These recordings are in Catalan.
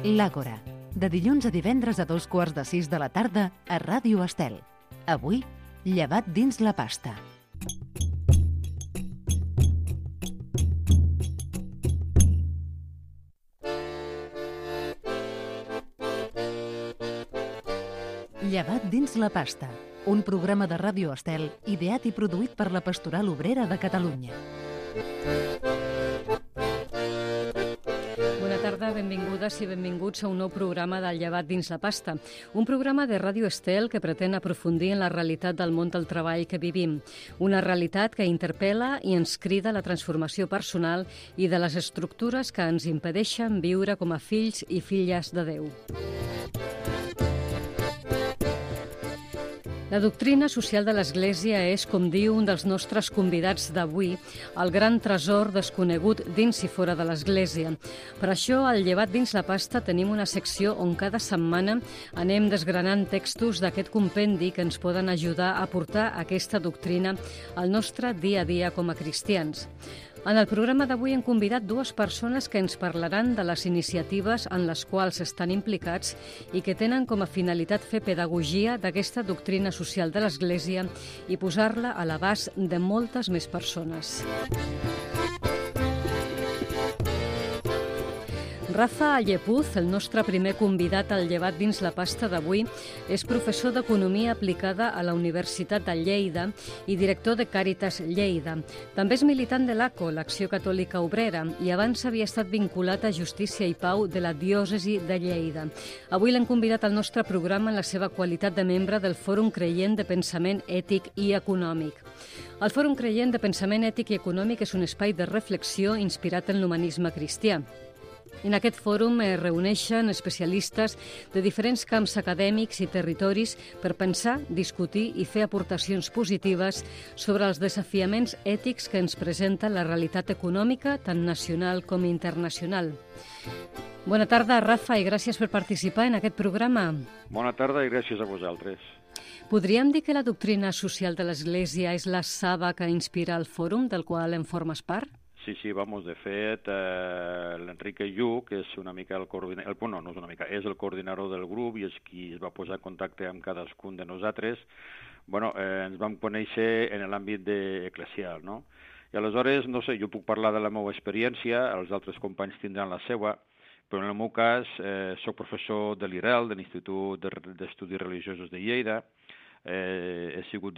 L'Àgora, de dilluns a divendres a 5:15 de la tarda a Ràdio Estel. Avui, llevat dins la pasta. Llevat dins la pasta, un programa de Ràdio Estel ideat i produït per la Pastoral Obrera de Catalunya. Bona tarda, benvingudes i benvinguts a un nou programa del Llevat dins la pasta, un programa de Ràdio Estel que pretén aprofundir en la realitat del món del treball que vivim, una realitat que interpel·la i ens crida a la transformació personal i de les estructures que ens impedeixen viure com a fills i filles de Déu. La doctrina social de l'Església és, com diu un dels nostres convidats d'avui, el gran tresor desconegut dins i fora de l'Església. Per això, al Llevat dins la pasta tenim una secció on cada setmana anem desgranant textos d'aquest compendi que ens poden ajudar a portar aquesta doctrina al nostre dia a dia com a cristians. En el programa d'avui hem convidat dues persones que ens parlaran de les iniciatives en les quals estan implicats i que tenen com a finalitat fer pedagogia d'aquesta doctrina social de l'Església i posar-la a l'abast de moltes més persones. Rafa Llepuz, el nostre primer convidat al Llevat dins la pasta d'avui, és professor d'Economia aplicada a la Universitat de Lleida i director de Càritas Lleida. També és militant de l'ACO, l'Acció Catòlica Obrera, i abans havia estat vinculat a Justícia i Pau de la Diòcesi de Lleida. Avui l'hem convidat al nostre programa en la seva qualitat de membre del Fòrum Creient de Pensament Ètic i Econòmic. El Fòrum Creient de Pensament Ètic i Econòmic és un espai de reflexió inspirat en l'humanisme cristià. En aquest fòrum es reuneixen especialistes de diferents camps acadèmics i territoris per pensar, discutir i fer aportacions positives sobre els desafiaments ètics que ens presenta la realitat econòmica, tant nacional com internacional. Bona tarda, Rafa, i gràcies per participar en aquest programa. Bona tarda i gràcies a vosaltres. Podríem dir que la doctrina social de l'Església és la saba que inspira el fòrum del qual en formes part? Sí, vamos, de fet, l'Enrique Lluc és una mica el coordinador, no és una mica, és el coordinador del grup i és qui es va posar en contacte amb cadascun de nosaltres. Ens vam conèixer en l'àmbit eclesial, no? I aleshores, no sé, jo puc parlar de la meva experiència, els altres companys tindran la seva, però en el meu cas soc professor de l'IREL, de l'Institut d'Estudis Religiosos de Lleida. He sigut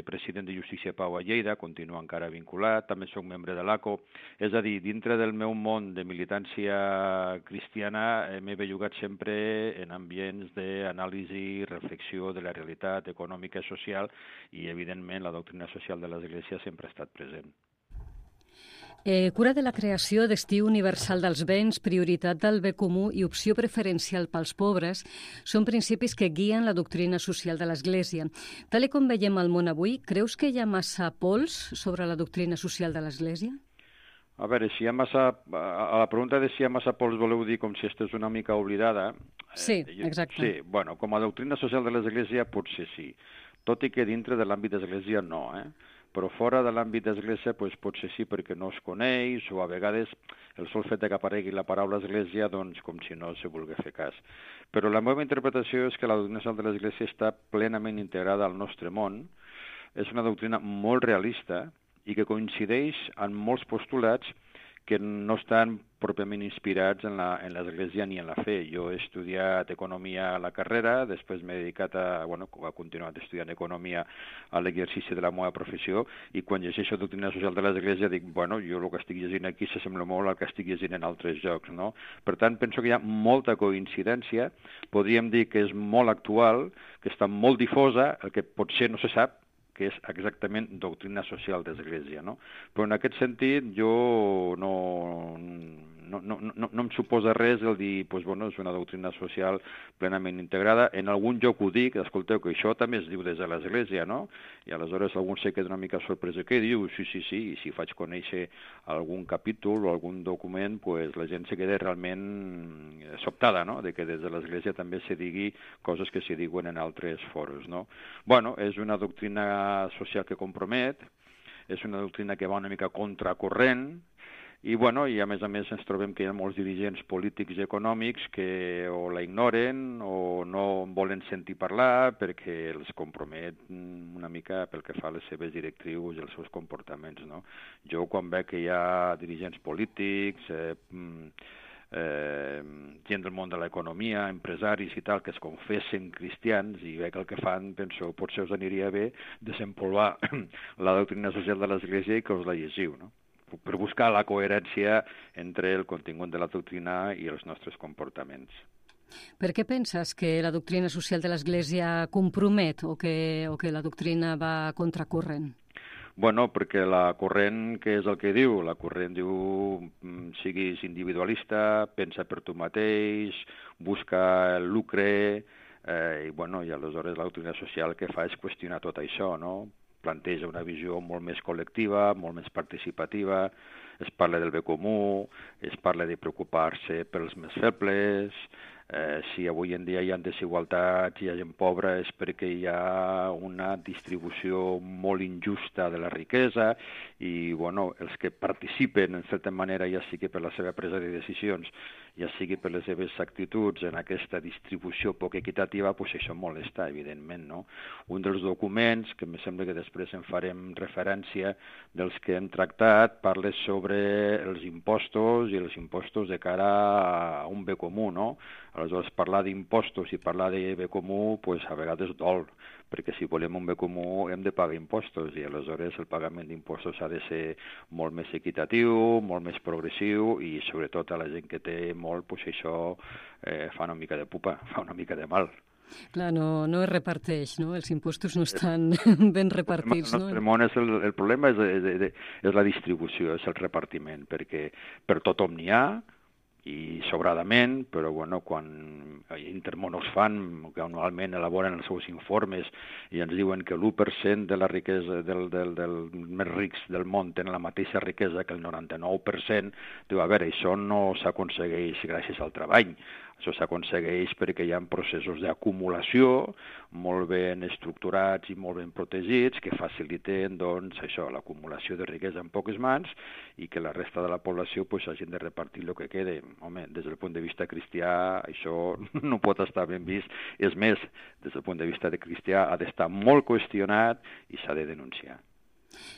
president de Justícia i Pau a Lleida, continuo encara vinculat, també soc membre de l'ACO. És a dir, dintre del meu món de militància cristiana m'he bellugat sempre en ambients d'anàlisi i reflexió de la realitat econòmica i social i, evidentment, la doctrina social de l'Església sempre ha estat present. Cura de la creació, destí universal dels béns, prioritat del bé comú i opció preferencial pels pobres són principis que guien la doctrina social de l'Església. Tal com veiem al món avui, creus que hi ha massa pols sobre la doctrina social de l'Església? A veure, si hi ha massa... A la pregunta de si hi ha massa pols voleu dir com si estigués una mica oblidada? Sí, exacte. Sí, bueno, com a doctrina social de l'Església potser sí, tot i que dintre de l'àmbit d'Església no, però fora de l'àmbit d'Església potser sí perquè no es coneix o a vegades el sol fet que aparegui la paraula Església doncs com si no se vulgui fer cas. Però la meva interpretació és que la doctrina social de l'Església està plenament integrada al nostre món, és una doctrina molt realista i que coincideix en molts postulats que no estan pròpiament inspirats en l'Església ni en la fe. Jo he estudiat economia a la carrera, després m'he dedicat he continuat estudiant economia a l'exercici de la meva professió i quan llegeixo doctrina social de l'Església dic, jo el que estic llegint aquí s'assembla molt al que estic llegint en altres llocs, no? Per tant, penso que hi ha molta coincidència, podríem dir que és molt actual, que està molt difosa, el que potser no se sap, que és exactament doctrina social d'Església, no? Però en aquest sentit jo no em suposa res el dir, és una doctrina social plenament integrada. En algun lloc ho dic, escolteu, que això també es diu des de l'Església, no? I aleshores algun se queda una mica sorprès de què diu, sí, i si faig conèixer algun capítol o algun document, la gent se queda realment sobtada, no?, de que des de l'Església també se digui coses que se diuen en altres foros, no? És una doctrina social que compromet, és una doctrina que va una mica contracorrent I a més ens trobem que hi ha molts dirigents polítics i econòmics que o la ignoren o no volen sentir parlar perquè els compromet una mica pel que fa a les seves directrius i els seus comportaments, no? Jo quan veig que hi ha dirigents polítics, gent del món de l'economia, empresaris i tal, que es confessen cristians i veig el que fan, penso, potser us aniria bé desempolvar la doctrina social de l'Església i que us la llegiu, no? Per buscar la coherència entre el contingut de la doctrina i els nostres comportaments. Per què penses que la doctrina social de l'Església compromet o que la doctrina va contracorrent? Perquè la corrent, què és el que diu? La corrent diu siguis individualista, pensa per tu mateix, busca el lucre, i aleshores la doctrina social que fa és qüestionar tot això, no? Planteja una visió molt més col·lectiva, molt més participativa, es parla del bé comú, es parla de preocupar-se pels més febles. Si avui en dia hi ha desigualtats, hi ha gent pobra, és perquè hi ha una distribució molt injusta de la riquesa i els que participen, en certa manera, ja sigui per la seva presa de decisions, ja sigui per les seves actituds en aquesta distribució poc equitativa, doncs això molesta, evidentment, no? Un dels documents, que em sembla que després en farem referència, dels que hem tractat, parla sobre els impostos i els impostos de cara a un bé comú, no? Aleshores, parlar d'impostos i parlar de bé comú, doncs a vegades dol, perquè si volem un bé comú hem de pagar impostos i aleshores el pagament d'impostos ha de ser molt més equitatiu, molt més progressiu i sobretot a la gent que té molt, doncs això fa una mica de pupa, fa una mica de mal. Clar, no es reparteix, no? Els impostos no estan ben repartits, no? El problema és la distribució, és el repartiment, perquè per tothom n'hi ha, i sobradament, però quan Intermón fan, que anualment elaboren els seus informes i ens diuen que l'1% de la riquesa dels més rics del món tenen la mateixa riquesa que el 99%, diu, a veure, això no s'aconsegueix gràcies al treball, això s'aconsegueix perquè hi ha processos d'acumulació molt ben estructurats i molt ben protegits que faciliten, l'acumulació de riquesa en poques mans i que la resta de la població hagin de repartir el que quede. Home, des del punt de vista cristià això no pot estar ben vist. És més, des del punt de vista cristià ha d'estar molt qüestionat i s'ha de denunciar.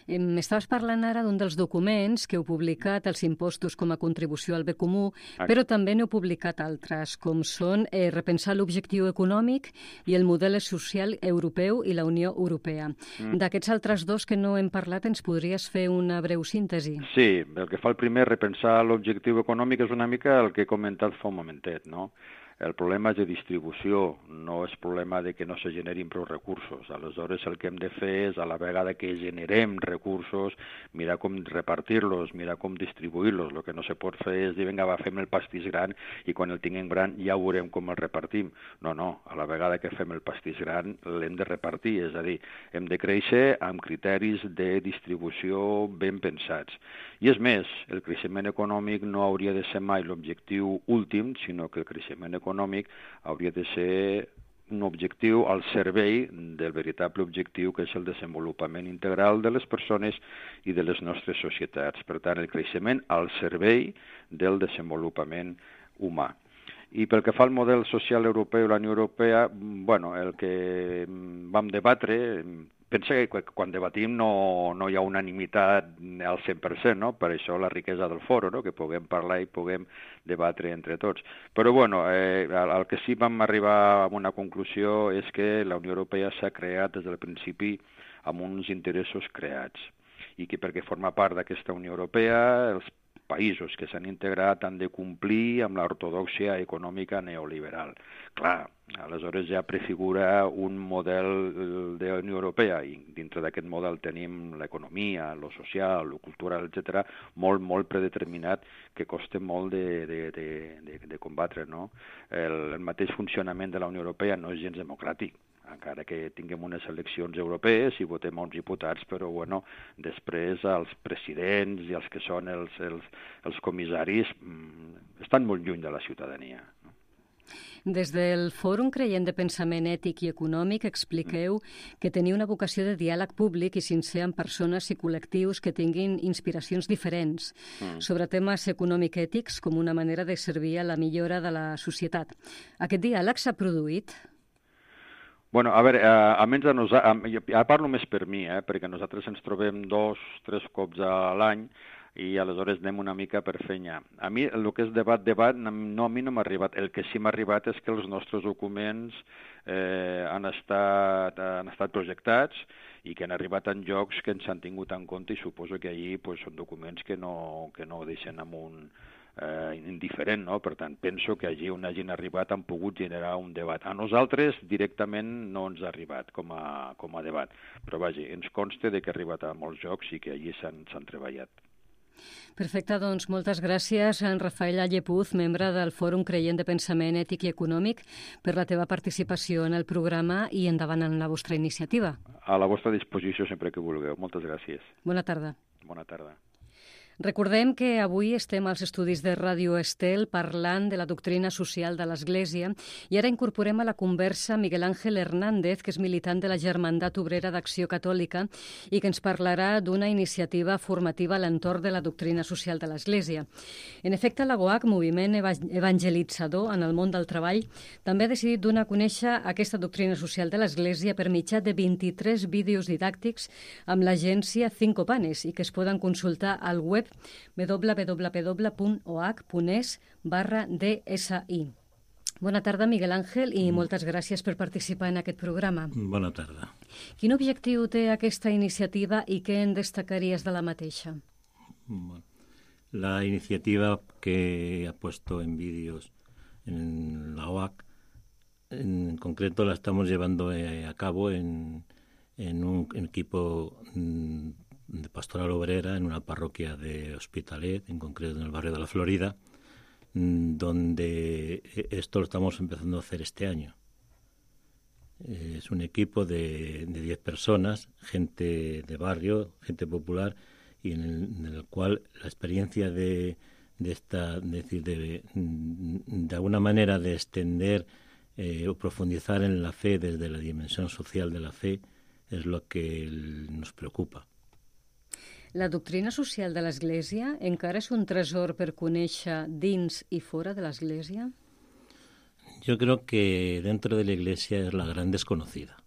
M'estaves parlant ara d'un dels documents que heu publicat, els impostos com a contribució al bé comú, però també n'heu publicat altres, com són repensar l'objectiu econòmic i el model social europeu i la Unió Europea. D'aquests altres dos que no hem parlat, ens podries fer una breu síntesi? Sí, el que fa el primer, repensar l'objectiu econòmic, és una mica el que he comentat fa un momentet, no? El problema és de distribució, no és problema de que no se generin prou recursos. Aleshores, el que hem de fer és, a la vegada que generem recursos, mirar com repartir-los, mirar com distribuir-los. El que no se pot fer és dir, vinga, fem el pastís gran i quan el tinguem gran ja veurem com el repartim. No, a la vegada que fem el pastís gran l'hem de repartir, és a dir, hem de créixer amb criteris de distribució ben pensats. I és més, el creixement econòmic no hauria de ser mai l'objectiu últim, sinó que el creixement econòmic hauria de ser un objectiu al servei del veritable objectiu que és el desenvolupament integral de les persones i de les nostres societats. Per tant, el creixement al servei del desenvolupament humà. I pel que fa al model social europeu i la Unió Europea, el que vam debatre, pensa que quan debatim no hi ha unanimitat al 100%, no? Per això la riquesa del foro, no? Que puguem parlar i puguem debatre entre tots. Però el que sí vam arribar a una conclusió és que la Unió Europea s'ha creat des del principi amb uns interessos creats i que perquè forma part d'aquesta Unió Europea els països que s'han integrat han de complir amb l'ortodòxia econòmica neoliberal. Clar, aleshores ja prefigura un model de la Unió Europea i dintre d'aquest model tenim l'economia, lo social, lo cultural, etc., molt predeterminat que costa molt de combatre, no? El mateix funcionament de la Unió Europea no és gens democràtic, encara que tinguem unes eleccions europees i votem uns diputats, però després els presidents i els que són els comissaris estan molt lluny de la ciutadania. Des del Fòrum Creient de Pensament Ètic i Econòmic expliqueu que teniu una vocació de diàleg públic i sincer amb persones i col·lectius que tinguin inspiracions diferents sobre temes econòmic-ètics com una manera de servir a la millora de la societat. Aquest diàleg s'ha produït? Bueno, a veure, almenys ja parlo més per mi, perquè nosaltres ens trobem 2-3 cops a l'any i aleshores anem una mica per feina. A mi el que és debat, a mi no m'ha arribat. El que sí m'ha arribat és que els nostres documents han estat projectats i que han arribat en llocs que ens han tingut en compte i suposo que allí són documents que no deixen amb un indiferent, no? Per tant, penso que allí on hagin arribat han pogut generar un debat. A nosaltres directament no ens ha arribat com a debat, però vaja, ens consta que ha arribat a molts llocs i que allí s'han treballat. Perfecte, doncs moltes gràcies, en Rafael Allepuz, membre del Fòrum Creient de Pensament Ètic i Econòmic, per la teva participació en el programa i endavant en la vostra iniciativa. A la vostra disposició sempre que vulgueu. Moltes gràcies. Bona tarda. Bona tarda. Recordem que avui estem als estudis de Ràdio Estel parlant de la doctrina social de l'Església i ara incorporem a la conversa Miguel Ángel Hernández, que és militant de la Germandat Obrera d'Acció Catòlica i que ens parlarà d'una iniciativa formativa a l'entorn de la doctrina social de l'Església. En efecte, la GOAC, moviment evangelitzador en el món del treball, també ha decidit donar a conèixer aquesta doctrina social de l'Església per mitjà de 23 vídeos didàctics amb l'agència Cinco Panes i que es poden consultar al web www.oac.es/DSI. Bona tarda, Miguel Ángel, i moltes gràcies per participar en aquest programa. Bona tarda. Quin objectiu té aquesta iniciativa i què en destacaries de la mateixa? Bueno, la iniciativa que ha puesto en vídeos en la OAC, en concreto la estamos llevando a cabo en un equipo de pastoral obrera en una parroquia de Hospitalet, en concreto en el barrio de la Florida, donde esto lo estamos empezando a hacer este año. Es un equipo de 10 personas, gente de barrio, gente popular, y en el cual la experiencia de alguna manera de extender o profundizar en la fe desde la dimensión social de la fe es lo que nos preocupa. La doctrina social de l'Església encara és un tresor per conèixer dins i fora de l'Església? Yo creo que dentro de la Iglesia es la gran desconocida.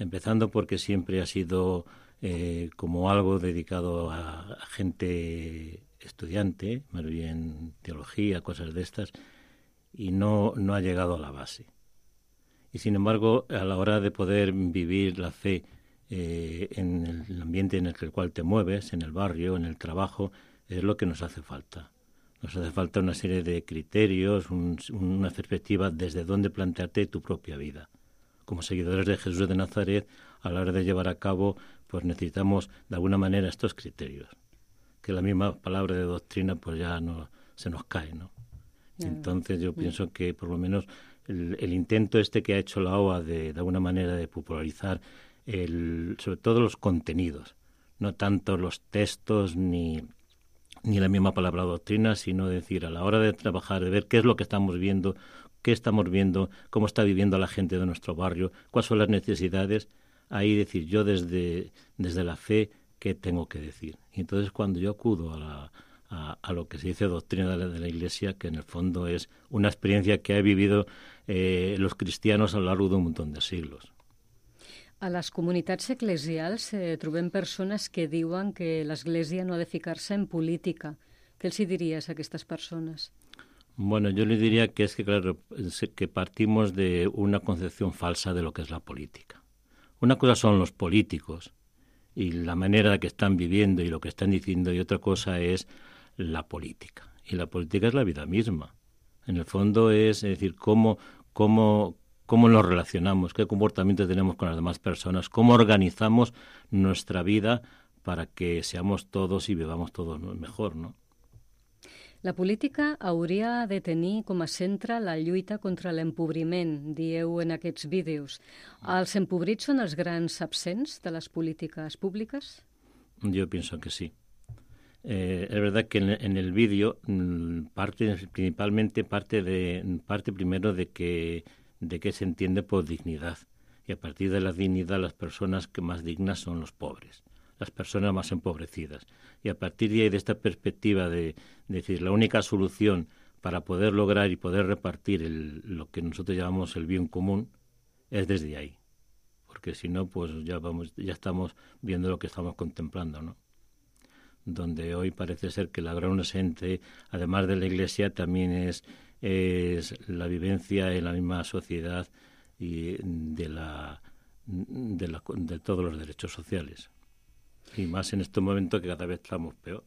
Empezando porque siempre ha sido como algo dedicado a gente estudiante, más bien teología, cosas de estas, y no ha llegado a la base. Y sin embargo, a la hora de poder vivir la fe en el ambiente en el cual te mueves, en el barrio, en el trabajo, es lo que nos hace falta. Nos hace falta una serie de criterios, una perspectiva desde dónde plantearte tu propia vida. Como seguidores de Jesús de Nazaret, a la hora de llevar a cabo, pues necesitamos de alguna manera estos criterios. Que la misma palabra de doctrina pues ya no se nos cae, ¿no? Entonces yo pienso que por lo menos el intento que ha hecho la OA de alguna manera de popularizar sobre todo los contenidos, no tanto los textos ni la misma palabra doctrina, sino decir a la hora de trabajar, de ver qué es lo que estamos viendo, cómo está viviendo la gente de nuestro barrio, cuáles son las necesidades, ahí decir yo desde la fe qué tengo que decir. Y entonces cuando yo acudo a lo que se dice doctrina de la Iglesia, que en el fondo es una experiencia que han vivido los cristianos a lo largo de un montón de siglos. A les comunitats eclesials trobem persones que diuen que l'Església no ha de ficar-se en política. Què els diries a aquestes persones? Bueno, yo le diría que es que, claro, que partimos de una concepción falsa de lo que es la política. Una cosa son los políticos y la manera que están viviendo y lo que están diciendo, y otra cosa es la política. Y la política es la vida misma. En el fondo es decir, cómo nos relacionamos, qué comportamiento tenemos con las demás personas, cómo organizamos nuestra vida para que seamos todos y vivamos todos mejor, ¿no? La política hauria de tenir com a centre la lluita contra l'empobriment, dieu en aquests vídeos. Els empobrits són els grans absents de les polítiques públiques? Yo pienso que sí. Es verdad que en el vídeo parte primero de que se entiende por dignidad, y a partir de la dignidad las personas que más dignas son los pobres, las personas más empobrecidas, y a partir de ahí, de esta perspectiva de decir la única solución para poder lograr y poder repartir lo que nosotros llamamos el bien común es desde ahí, porque si no, pues ya estamos viendo lo que estamos contemplando, ¿no? Donde hoy parece ser que la gran ausente, además de la Iglesia, también es la vivencia en la misma sociedad y de todos los derechos sociales. I més en aquest moment que cada vez estamos peor.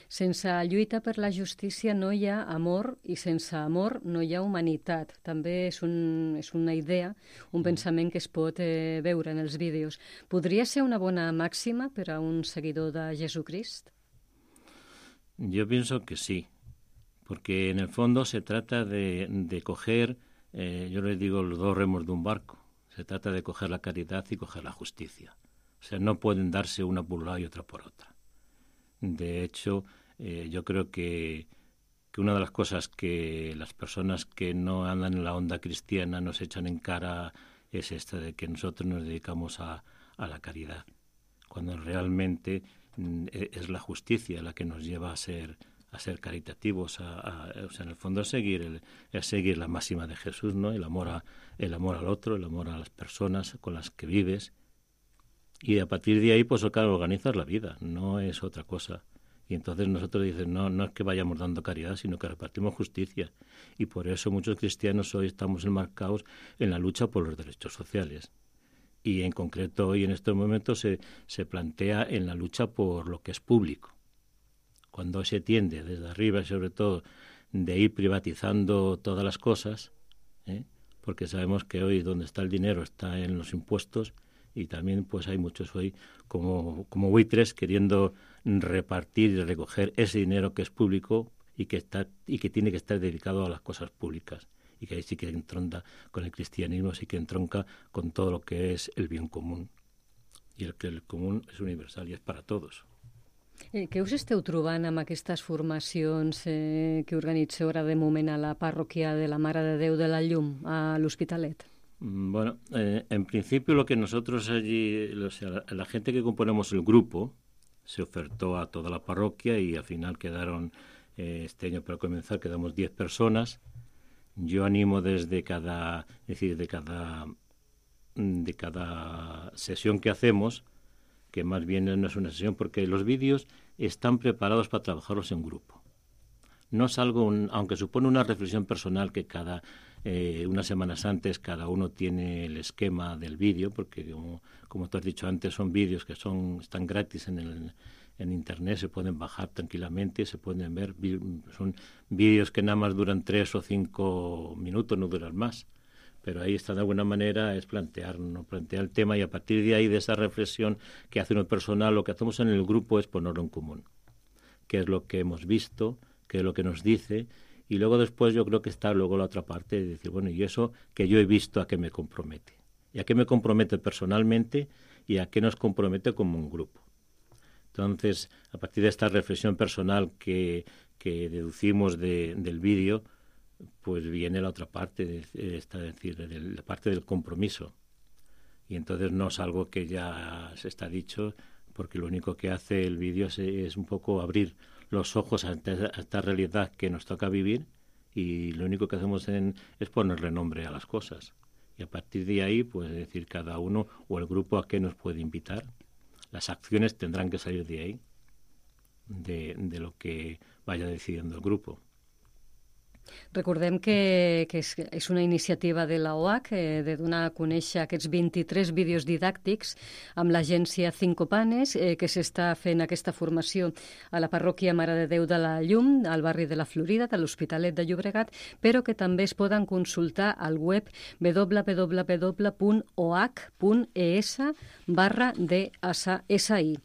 Sense lluita per la justícia no hi ha amor i sense amor no hi ha humanitat. També és una idea, un pensament que es pot veure en els vídeos. Podria ser una bona màxima per a un seguidor de Jesucrist? Yo pienso que sí, porque en el fondo se trata de coger, yo les digo, los dos remos de un barco. Se trata de coger la caridad y coger la justicia. O sea, no pueden darse una por un lado y otra por otra. De hecho, yo creo que una de las cosas que las personas que no andan en la onda cristiana nos echan en cara es esta de que nosotros nos dedicamos a la caridad, cuando realmente es la justicia la que nos lleva a ser caritativos, o sea, en el fondo a seguir la máxima de Jesús, ¿no? El amor al otro, el amor a las personas con las que vives. Y a partir de ahí, pues claro, organizas la vida, no es otra cosa. Y entonces nosotros dicen, no es que vayamos dando caridad, sino que repartimos justicia. Y por eso muchos cristianos hoy estamos enmarcados en la lucha por los derechos sociales. Y en concreto hoy en estos momentos se plantea en la lucha por lo que es público. Cuando se tiende desde arriba, sobre todo, de ir privatizando todas las cosas, porque sabemos que hoy donde está el dinero está en los impuestos, y también pues hay muchos hoy como buitres queriendo repartir y recoger ese dinero que es público y que tiene que estar dedicado a las cosas públicas, y que ahí sí que entronca con el cristianismo, sí que entronca con todo lo que es el bien común, y el común es universal y es para todos. Què us esteu trobant amb aquestes formacions que organitzeu ara de moment a la parròquia de la Mare de Déu de la Llum, a l'Hospitalet? Bueno, en principio lo que nosotros allí, o sea, la gente que componemos el grupo se ofertó a toda la parroquia y al final quedaron, este año para comenzar, quedamos 10 personas. Yo animo de cada sesión que hacemos, que más bien no es una sesión, porque los vídeos están preparados para trabajarlos en grupo. No es algo, aunque supone una reflexión personal que unas semanas antes cada uno tiene el esquema del vídeo, porque como tú has dicho antes, son vídeos que están gratis en internet, se pueden bajar tranquilamente, se pueden ver, son vídeos que nada más duran 3 o 5 minutos, no duran más. Pero ahí está, de alguna manera, es plantear el tema, y a partir de ahí, de esa reflexión que hace uno personal, lo que hacemos en el grupo es ponerlo en común. ¿Qué es lo que hemos visto? ¿Qué es lo que nos dice? Y luego después yo creo que está luego la otra parte de decir, bueno, y eso que yo he visto, ¿a qué me compromete? ¿Y a qué me compromete personalmente y a qué nos compromete como un grupo? Entonces, a partir de esta reflexión personal que deducimos del vídeo, pues viene la otra parte, la parte del compromiso. Y entonces no es algo que ya se está dicho, porque lo único que hace el vídeo es un poco abrir los ojos a esta realidad que nos toca vivir, y lo único que hacemos es ponerle nombre a las cosas. Y a partir de ahí, pues decir cada uno o el grupo a qué nos puede invitar. Las acciones tendrán que salir de ahí, de lo que vaya decidiendo el grupo. Recordem que és una iniciativa de la OAC de donar a conèixer aquests 23 vídeos didàctics amb l'agència Cinco Panes, que s'està fent aquesta formació a la parròquia Mare de Déu de la Llum, al barri de la Florida, de l'Hospitalet de Llobregat, però que també es poden consultar al web www.oac.es/DSI.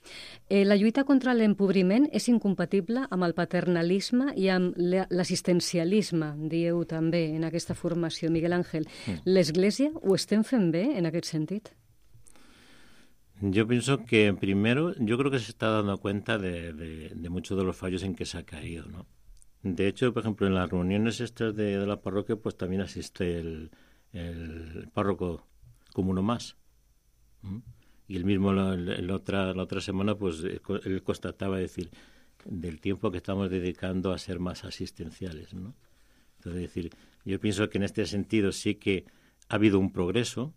La lluita contra l'empobriment és incompatible amb el paternalisme i amb l'assistencialisme, dieu també en aquesta formació. Miguel Ángel, l'Església ho estem fent bé en aquest sentit? Yo pienso que primero, yo creo que se está dando cuenta de muchos de los fallos en que se ha caído, ¿no? De hecho, por ejemplo, en las reuniones estas de la parroquia, pues también asiste el párroco como uno más. Y él mismo la otra semana, pues él constataba decir del tiempo que estamos dedicando a ser más asistenciales, ¿no? Entonces, decir, yo pienso que en este sentido sí que ha habido un progreso,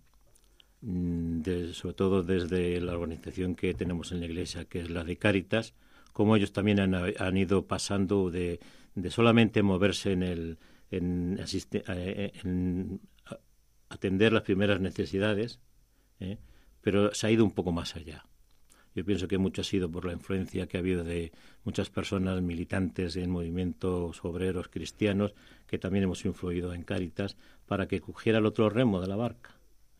sobre todo desde la organización que tenemos en la Iglesia, que es la de Cáritas, como ellos también han ido pasando de solamente moverse en atender las primeras necesidades, pero se ha ido un poco más allá. Yo pienso que mucho ha sido por la influencia que ha habido de muchas personas militantes en movimientos obreros cristianos que también hemos influido en Cáritas para que cogiera el otro remo de la barca.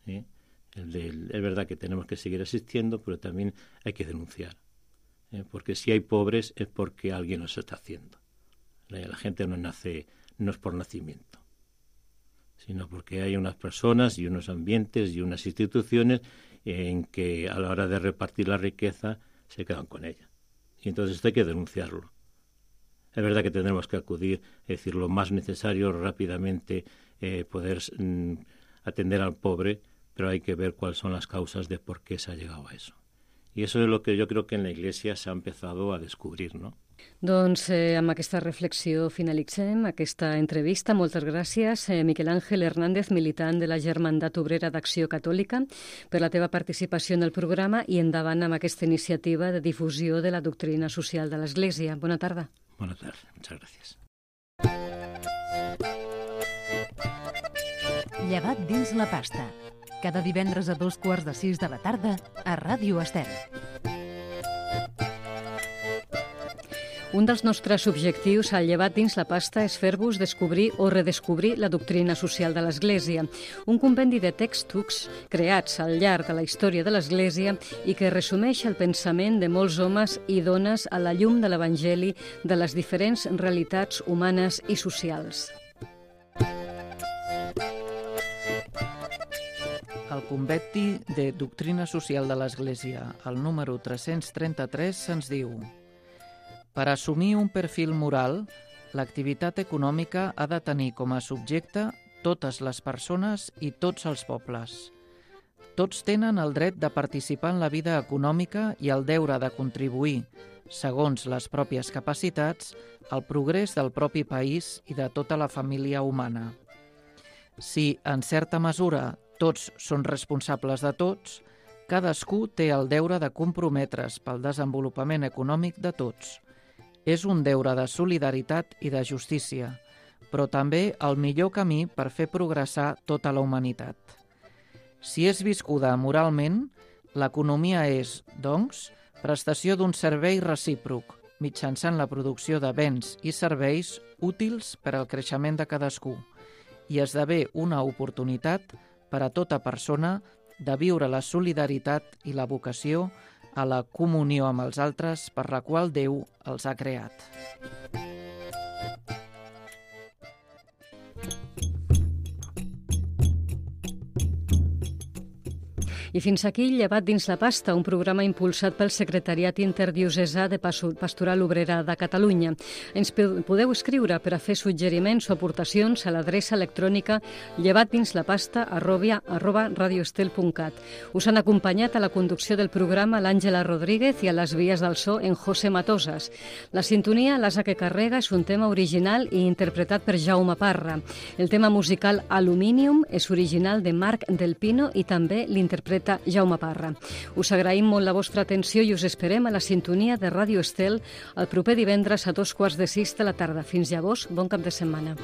Es verdad que tenemos que seguir asistiendo, pero también hay que denunciar. Porque si hay pobres es porque alguien los está haciendo. La gente no es por nacimiento, sino porque hay unas personas y unos ambientes y unas instituciones en que a la hora de repartir la riqueza se quedan con ella. Y entonces esto hay que denunciarlo. Es verdad que tendremos que acudir, es decir, lo más necesario rápidamente, poder atender al pobre, pero hay que ver cuáles son las causas de por qué se ha llegado a eso. I això és el que jo crec que en la Iglesia s'ha empezado a descobrir, ¿no? Doncs amb aquesta reflexió finalitzem aquesta entrevista. Moltes gràcies, Miquel Ángel Hernández, militant de la Germandat Obrera d'Acció Catòlica, per la teva participació en el programa i endavant amb aquesta iniciativa de difusió de la doctrina social de l'Església. Bona tarda. Bona tarda, muchas gracias. Llevat dins la pasta. Cada divendres a 5:15 de la tarda a Ràdio Estel. Un dels nostres objectius al Llevat dins la pasta és fer-vos descobrir o redescobrir la doctrina social de l'Església, un compendi de textos creats al llarg de la història de l'Església i que resumeix el pensament de molts homes i dones a la llum de l'Evangeli de les diferents realitats humanes i socials. Al Compendi de Doctrina Social de l'Església, el número 333, se'ns diu: per assumir un perfil moral, l'activitat econòmica ha de tenir com a subjecte totes les persones i tots els pobles. Tots tenen el dret de participar en la vida econòmica i el deure de contribuir, segons les pròpies capacitats, al progrés del propi país i de tota la família humana. Si, en certa mesura, tots són responsables de tots, cadascú té el deure de comprometre's pel desenvolupament econòmic de tots. És un deure de solidaritat i de justícia, però també el millor camí per fer progressar tota la humanitat. Si és viscuda moralment, l'economia és, doncs, prestació d'un servei recíproc, mitjançant la producció de béns i serveis útils per al creixement de cadascú, i esdevé una oportunitat per a tota persona de viure la solidaritat i la vocació a la comunió amb els altres per la qual Déu els ha creat. I fins aquí Llevat dins la pasta, un programa impulsat pel Secretariat Interdiocesà de Pastoral Obrera de Catalunya. Ens podeu escriure per a fer suggeriments o aportacions a l'adreça electrònica llevatdinslapasta@radioestel.cat. Us han acompanyat a la conducció del programa l'Àngela Rodríguez i a les vies del so en José Matosas. La sintonia, l'asa que carrega, és un tema original i interpretat per Jaume Parra. El tema musical Aluminium és original de Marc Del Pino i també l'interpreta Jaume Parra. Us agraïm molt la vostra atenció i us esperem a la sintonia de Ràdio Estel el proper divendres a 5:15 de la tarda. Fins llavors, bon cap de setmana.